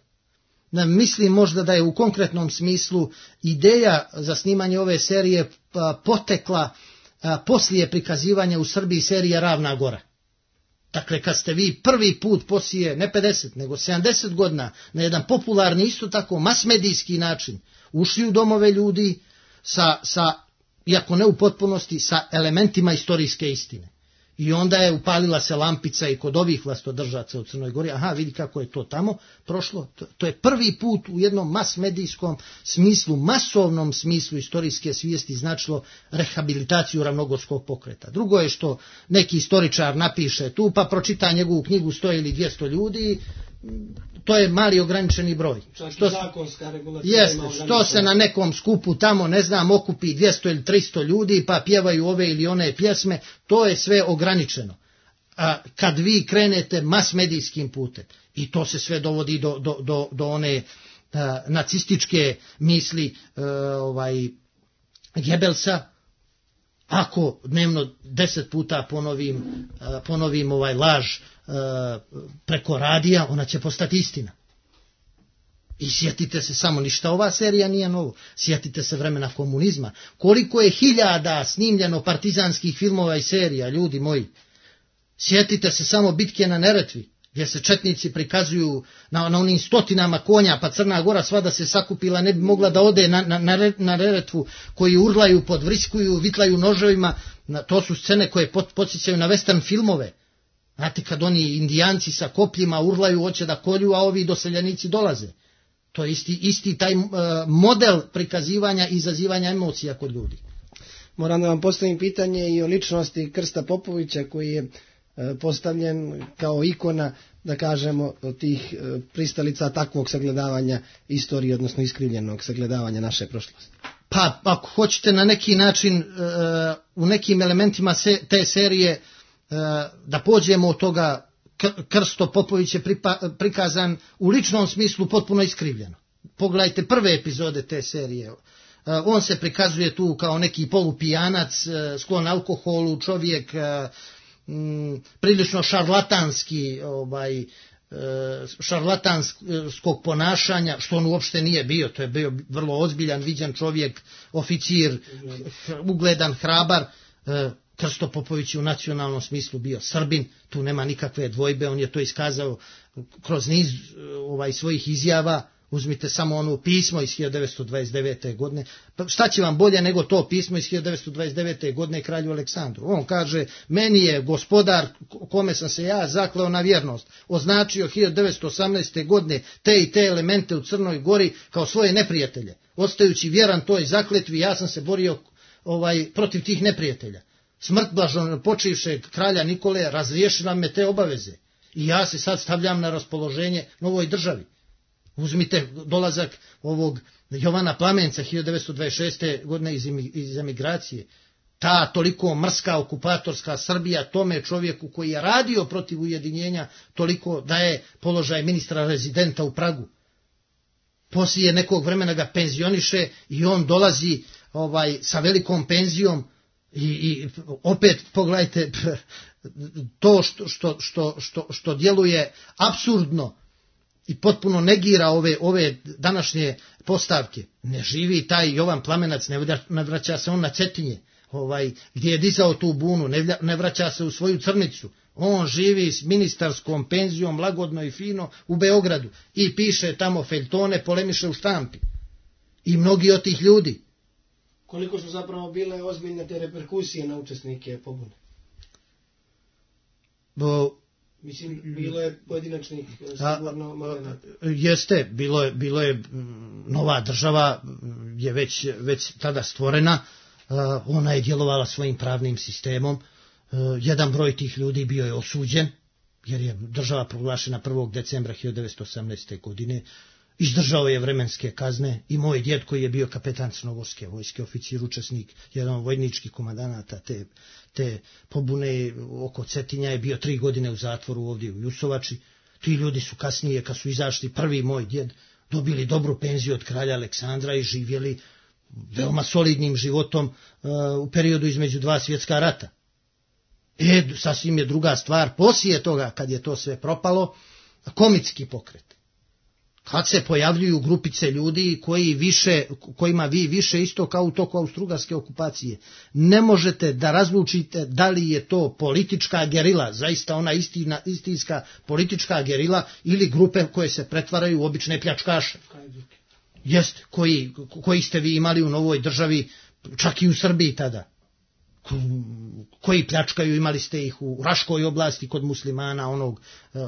Mislim možda da je u konkretnom smislu ideja za snimanje ove serije potekla poslije prikazivanja u Srbiji serije Ravna Gora. Dakle, kad ste vi prvi put poslije ne 50, nego 70 godina na jedan popularni, isto tako masmedijski način ušli u domove ljudi iako ne u potpunosti, sa elementima istorijske istine. I onda je upalila se lampica i kod ovih vlastodržaca u Crnoj Gori. Aha, vidi kako je to tamo prošlo. To je prvi put u jednom masmedijskom smislu, masovnom smislu istorijske svijesti značilo rehabilitaciju ravnogorskog pokreta. Drugo je što neki istoričar napiše tu, pa pročita njegovu knjigu 100 ili 200 ljudi, to je mali ograničeni broj. Što se na nekom skupu tamo, ne znam, okupi 200 ili 300 ljudi pa pjevaju ove ili one pjesme, to je sve ograničeno. Kad vi krenete masmedijskim putem, i to se sve dovodi do one nacističke misli Gebelsa, ako dnevno 10 puta ponovim laž preko radija, ona će postati istina. I sjetite se samo, ništa ova serija nije novo, sjetite se vremena komunizma, koliko je 1000 snimljeno partizanskih filmova i serija, ljudi moji. Sjetite se samo bitke na Neretvi, gdje se četnici prikazuju na onim 100 konja, pa Crna Gora sva da se sakupila ne bi mogla da ode na Neretvu, koji urlaju, podvriskuju, vitlaju noževima. To su scene koje podsjećaju na western filmove. Znate, kad oni indijanci sa kopljima urlaju, hoće da kolju, a ovi doseljenici dolaze. To je isti taj model prikazivanja i izazivanja emocija kod ljudi. Moram da vam postavim pitanje i o ličnosti Krsta Popovića, koji je postavljen kao ikona, da kažemo, tih pristalica takvog sagledavanja istorije, odnosno iskrivljenog sagledavanja naše prošlosti. Pa ako hoćete na neki način u nekim elementima te serije da pođemo od toga, Krsto Popović je prikazan u ličnom smislu potpuno iskrivljeno. Pogledajte prve epizode te serije. On se prikazuje tu kao neki polupijanac, sklon alkoholu, čovjek prilično šarlatanskog ponašanja, što on uopšte nije bio. To je bio vrlo ozbiljan, viđan čovjek, oficir, ugledan, hrabar. Krsto Popović je u nacionalnom smislu bio Srbin, tu nema nikakve dvojbe, on je to iskazao kroz niz svojih izjava. Uzmite samo ono pismo iz 1929. godine. Pa šta će vam bolje nego to pismo iz 1929. godine kralju Aleksandru? On kaže, meni je gospodar kome sam se ja zakleo na vjernost označio 1918. godine te i te elemente u Crnoj Gori kao svoje neprijatelje. Ostajući vjeran toj zakletvi, ja sam se borio protiv tih neprijatelja. Smrt blaženopočivšeg kralja Nikole razriješila me te obaveze i ja se sad stavljam na raspoloženje novoj državi. Uzmite dolazak ovog Jovana Plamenca 1926. godine iz emigracije. Ta toliko mrska okupatorska Srbija tome čovjeku koji je radio protiv ujedinjenja toliko daje položaj ministra rezidenta u Pragu. Poslije nekog vremena ga penzioniše i on dolazi sa velikom penzijom i opet pogledajte to što djeluje apsurdno i potpuno negira ove današnje postavke. Ne živi taj Jovan Plamenac, ne vraća se on na Cetinje, gdje je dizao tu bunu, ne vraća se u svoju Crnicu. On živi s ministarskom penzijom, lagodno i fino u Beogradu i piše tamo feljtone, polemiše u štampi. I mnogi od tih ljudi. Koliko su zapravo bile ozbiljne te reperkusije na učesnike pobune? Mislim, bilo je pojedinačnih sigurno momenata. Jeste, bilo je nova država je već tada stvorena, ona je djelovala svojim pravnim sistemom, jedan broj tih ljudi bio je osuđen, jer je država proglašena 1. decembra 1918. godine, izdržao je vremenske kazne i moj djed koji je bio kapetan Crnogorske vojske, oficir, učesnik, jedan od vojničkih komandanata te pobune oko Cetinja je bio 3 godine u zatvoru ovdje u Jusovači. Ti ljudi su kasnije, kad su izašli, prvi moj djed, dobili dobru penziju od kralja Aleksandra i živjeli veoma solidnim životom u periodu između 2 svjetska rata. Sasvim je druga stvar, poslije toga kad je to sve propalo, komitski pokret. Kad se pojavljuju grupice ljudi kojima vi više isto kao u toku austrougarske okupacije ne možete da razlučite da li je to politička gerila, zaista ona istinska politička gerila, ili grupe koje se pretvaraju u obične pljačkaše. Jeste, koji ste vi imali u novoj državi, čak i u Srbiji tada. Koji pljačkaju, imali ste ih u Raškoj oblasti kod muslimana, onog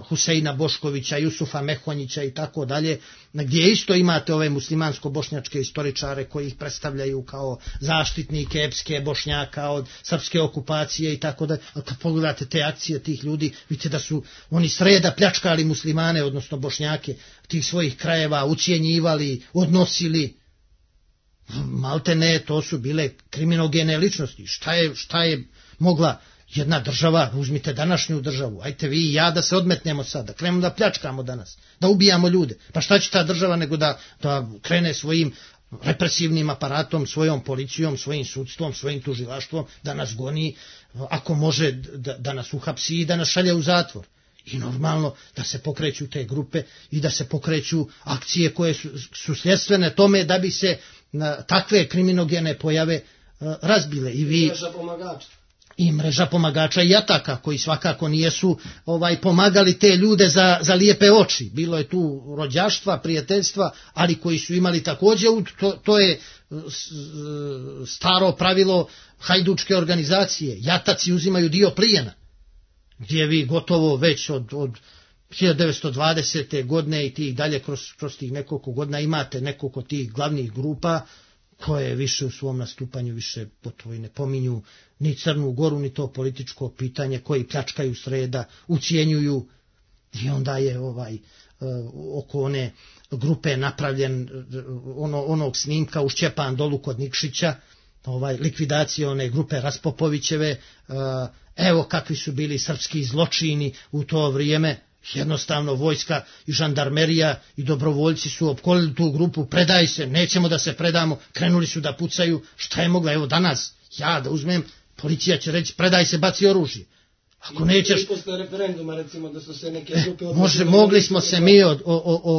Huseina Boškovića, Jusufa Mehonjića i tako dalje, gdje isto imate ove muslimansko-bošnjačke istoričare koji ih predstavljaju kao zaštitnike epske Bošnjaka od srpske okupacije i tako dalje. A kad pogledate te akcije tih ljudi, vidite da su oni sreda pljačkali muslimane, odnosno Bošnjake tih svojih krajeva, ucijenjivali, odnosili. Malte ne, to su bile kriminogene ličnosti. Šta je mogla jedna država, uzmite današnju državu, ajte vi i ja da se odmetnemo sad, da krenemo da pljačkamo danas, da ubijamo ljude. Pa šta će ta država nego da krene svojim represivnim aparatom, svojom policijom, svojim sudstvom, svojim tužilaštvom, da nas goni, ako može da nas uhapsi i da nas šalje u zatvor. I normalno da se pokreću te grupe i da se pokreću akcije koje su sljedstvene tome da bi se takve kriminogene pojave razbile. I mreža pomagača i ataka koji svakako nijesu pomagali te ljude za lijepe oči. Bilo je tu rođaštva, prijateljstva, ali koji su imali također, to je staro pravilo hajdučke organizacije. Jataci uzimaju dio plijena, gdje vi gotovo već od 1920. godine i tih dalje kroz tih nekoliko godina imate nekoliko tih glavnih grupa koje više u svom nastupanju više gotovo i ne pominju ni Crnu Goru, ni to političko pitanje, koji pljačkaju sreda, ucijenjuju I onda je oko one grupe napravljen onog snimka u Šćepan dolu kod Nikšića, likvidacija one grupe Raspopovićeve, evo kakvi su bili srpski zločini u to vrijeme. Jednostavno vojska i žandarmerija i dobrovoljci su opkolili tu grupu, predaj se, nećemo da se predamo, krenuli su da pucaju, šta je mogla, evo danas, ja da uzmem, policija će reći predaj se, baci oružje. Ako nećeš... I posle referenduma, recimo, da su se neke grupe... Mogli smo se mi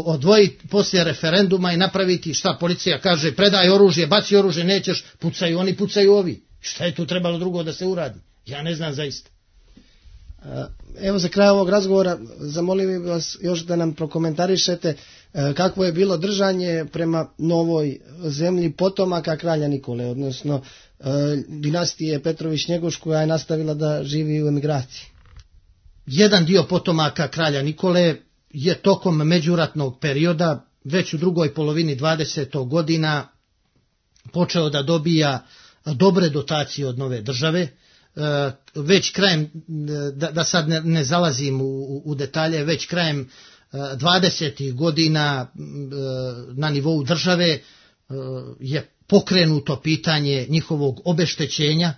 odvojiti poslije referenduma i napraviti šta policija kaže, predaj oružje, baci oružje, nećeš, pucaju oni, pucaju ovi. Šta je tu trebalo drugo da se uradi? Ja ne znam zaista. Evo za kraj ovog razgovora zamolio bih vas još da nam prokomentarišete kakvo je bilo držanje prema novoj zemlji potomaka kralja Nikole, odnosno dinastije Petrović-Njegoš koja je nastavila da živi u emigraciji. Jedan dio potomaka kralja Nikole je tokom međuratnog perioda, već u drugoj polovini 20. godina, počeo da dobija dobre dotacije od nove države. Već krajem, da sad ne zalazim u detalje, već krajem 20. godina na nivou države je pokrenuto pitanje njihovog obeštećenja.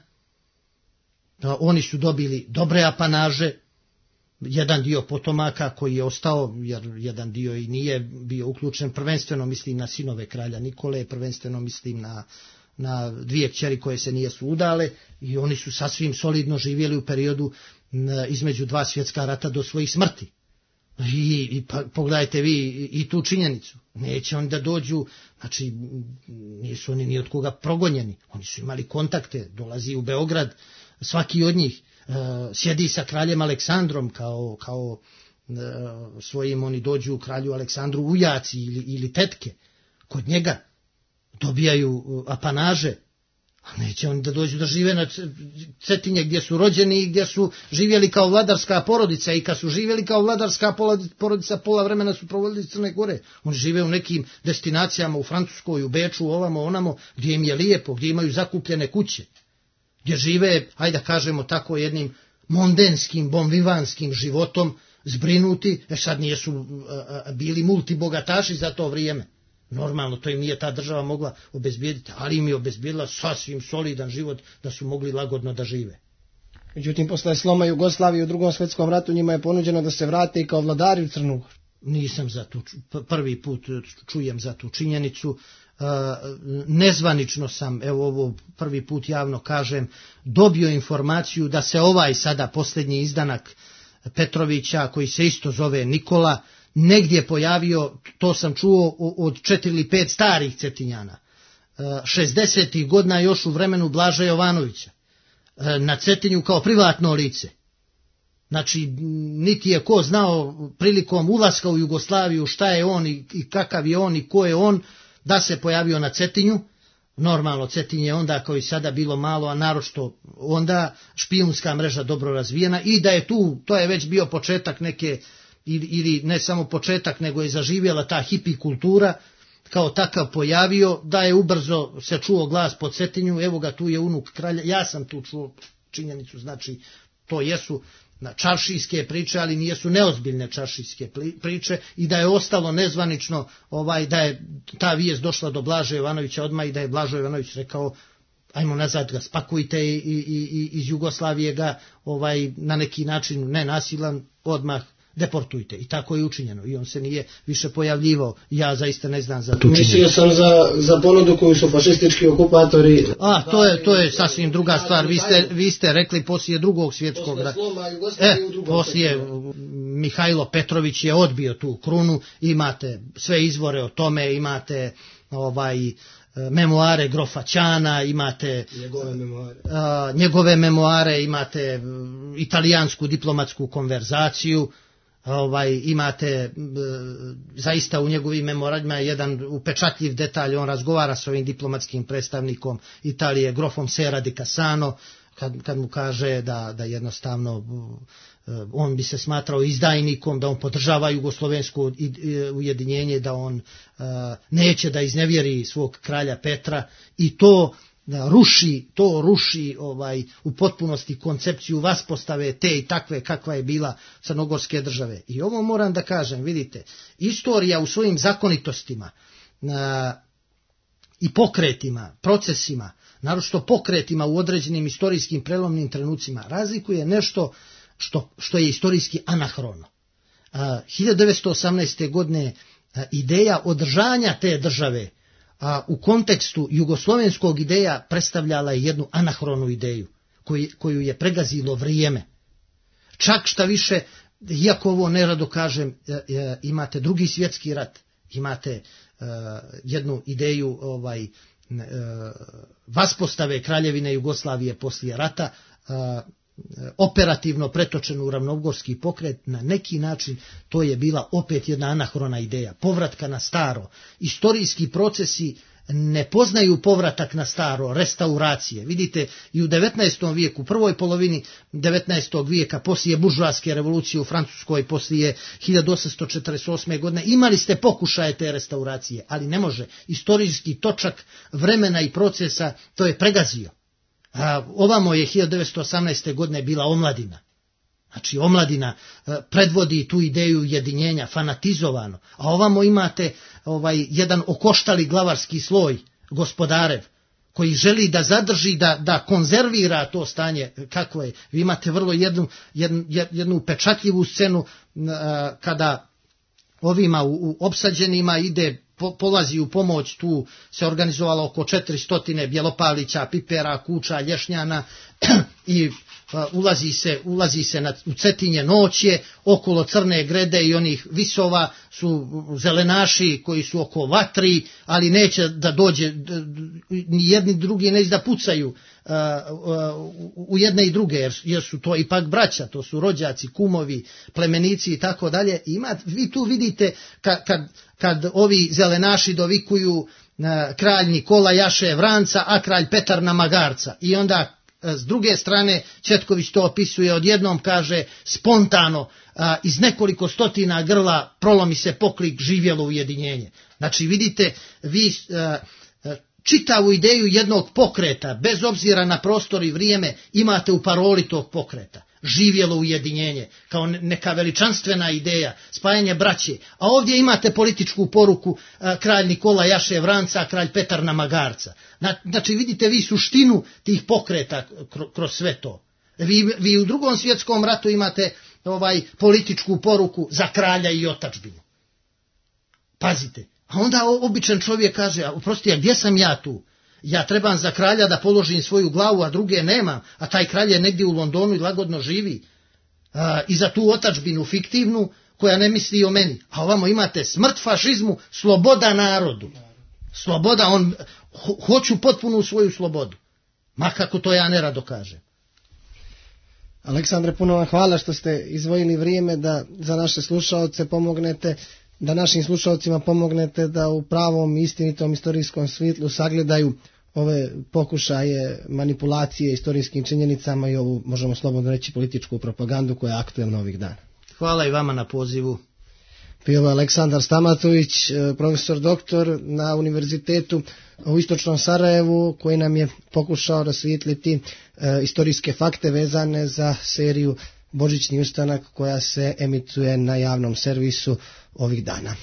Oni su dobili dobre apanaže, jedan dio potomaka koji je ostao, jer jedan dio i nije bio uključen, prvenstveno mislim na sinove kralja Nikole, prvenstveno mislim na dvije kćeri koje se nijesu udale, i oni su sasvim solidno živjeli u periodu između dva svjetska rata do svojih smrti. I pogledajte vi i tu činjenicu. Neće oni da dođu, znači nisu oni ni od koga progonjeni. Oni su imali kontakte, dolazi u Beograd, svaki od njih sjedi sa kraljem Aleksandrom kao svojim, oni dođu u kralju Aleksandru ujaci ili tetke kod njega, dobijaju apanaže, a neće oni da dođu da žive na Cetinje gdje su rođeni i gdje su živjeli kao vladarska porodica, i kad su živjeli kao vladarska porodica pola vremena su provodili iz Crne Gore. Oni žive u nekim destinacijama u Francuskoj, u Beču, ovamo, onamo, gdje im je lijepo, gdje imaju zakupljene kuće, gdje žive, ajde da kažemo tako, jednim mondenskim, bonvivanskim životom, zbrinuti. Sad nijesu bili multibogataši za to vrijeme. Normalno, to im nije ta država mogla obezbijediti, ali im je obezbijedila sasvim solidan život da su mogli lagodno da žive. Međutim, posle sloma Jugoslavije u Drugom svjetskom ratu njima je ponuđeno da se vrate i kao vladari u Crnu Goru. Nisam za tu, prvi put čujem za tu činjenicu. Nezvanično sam, evo ovo prvi put javno kažem, dobio informaciju da se ovaj sada posljednji izdanak Petrovića, koji se isto zove Nikola, negdje pojavio, to sam čuo od 4 ili 5 starih Cetinjana, 60. godina još u vremenu Blaža Jovanovića, na Cetinju kao privatno lice. Znači, niti je ko znao prilikom ulaska u Jugoslaviju šta je on i kakav je on i ko je on, da se pojavio na Cetinju. Normalno, Cetinje je onda kao i sada bilo malo, a naročito onda špijunska mreža dobro razvijena, i da je tu, to je već bio početak neke, ili ne samo početak, nego je zaživjela ta hipi kultura, kao takav pojavio, da je ubrzo se čuo glas po Cetinju, evo ga, tu je unuk kralja. Ja sam tu čuo činjenicu, znači to jesu čaršijske priče, ali nijesu neozbiljne čaršijske priče, i da je ostalo nezvanično, da je ta vijest došla do Blaže Jovanovića odmah, i da je Blažo Jovanović rekao ajmo nazad ga spakujte i iz Jugoslavije ga na neki način nenasilan odmah deportujte. I tako je učinjeno. I on se nije više pojavljivao. Ja zaista ne znam za tu činjenicu. Mislio sam za ponudu koju su fašistički okupatori... To je sasvim druga stvar. Vi ste rekli poslije Drugog svjetskog rata. Poslije Mihajlo Petrović je odbio tu krunu. Imate sve izvore o tome, imate memoare grofa Ćana, imate njegove memoare, imate italijansku diplomatsku konverzaciju, imate zaista u njegovim memoarima jedan upečatljiv detalj, on razgovara s ovim diplomatskim predstavnikom Italije, grofom Sera di Cassano, kad mu kaže da jednostavno on bi se smatrao izdajnikom, da on podržava jugoslovensko ujedinjenje, da on neće da iznevjeri svog kralja Petra, i to ruši u potpunosti koncepciju vaspostave te i takve kakva je bila crnogorske države. I ovo moram da kažem, vidite, istorija u svojim zakonitostima i pokretima, procesima, naročito pokretima u određenim istorijskim prelomnim trenucima, razlikuje nešto što je istorijski anahrono. 1918. godine ideja održanja te države u kontekstu jugoslovenskog ideja predstavljala je jednu anahronu ideju koju je pregazilo vrijeme. Čak šta više, iako ovo nerado kažem, imate Drugi svjetski rat, imate jednu ideju vaspostave Kraljevine Jugoslavije poslije rata, operativno pretočenu u ravnogorski pokret, na neki način to je bila opet jedna anahrona ideja, povratka na staro. Istorijski procesi ne poznaju povratak na staro, restauracije. Vidite, i u 19. vijeku, prvoj polovini 19. vijeka, poslije buržoaske revolucije u Francuskoj, poslije 1848. godine, imali ste pokušaje te restauracije, ali ne može. Istorijski točak vremena i procesa to je pregazio. Ovamo je 1918. godine bila omladina. Znači omladina predvodi tu ideju ujedinjenja, fanatizovano. A ovamo imate jedan okoštali glavarski sloj, gospodarev, koji želi da zadrži, da konzervira to stanje kako je. Vi imate vrlo jednu upečatljivu scenu kada ovima u opsađenima polazi u pomoć, tu se organizovalo oko 400 Bjelopalića, Pipera, Kuča, Lješnjana i ulazi se u Cetinje noće, okolo Crne Grede i onih visova su zelenaši koji su oko vatri, ali neće da dođe, ni jedni drugi neće da pucaju u jedne i druge, jer su to ipak braća, to su rođaci, kumovi, plemenici i tako dalje. Vi tu vidite kad ovi zelenaši dovikuju kralj Nikola jaše vranca, a kralj Petar na magarca, i onda s druge strane Četković to opisuje, odjednom kaže spontano, iz nekoliko stotina grla prolomi se poklik živjelo ujedinjenje. Znači vidite, vi čitavu ideju jednog pokreta, bez obzira na prostor i vrijeme, imate u paroli tog pokreta. Živjelo ujedinjenje, kao neka veličanstvena ideja, spajanje braće. A ovdje imate političku poruku, kralj Nikola jaše vranca, kralj Petar na magarca. Znači vidite vi suštinu tih pokreta kroz sve to. Vi u Drugom svjetskom ratu imate političku poruku za kralja i otadžbinu. Pazite. A onda običan čovjek kaže, oprosti, a gdje sam ja tu? Ja trebam za kralja da položim svoju glavu, a druge nemam, a taj kralj je negdje u Londonu i lagodno živi. I za tu otadžbinu fiktivnu koja ne misli o meni. A ovamo imate smrt fašizmu, sloboda narodu. Sloboda, hoću potpunu svoju slobodu. Ma kako to ja nerado kažem. Aleksandre, puno vam hvala što ste izdvojili vrijeme da za naše slušaoce pomognete, da našim slušalcima pomognete da u pravom istinitom istorijskom svjetlu sagledaju ove pokušaje manipulacije istorijskim činjenicama i ovu, možemo slobodno reći, političku propagandu koja je aktuelna ovih dana. Hvala i vama na pozivu. Bio je Aleksandar Stamatović, profesor doktor na Univerzitetu u Istočnom Sarajevu, koji nam je pokušao rasvijetliti istorijske fakte vezane za seriju Božićni ustanak koja se emituje na javnom servisu ovih dana.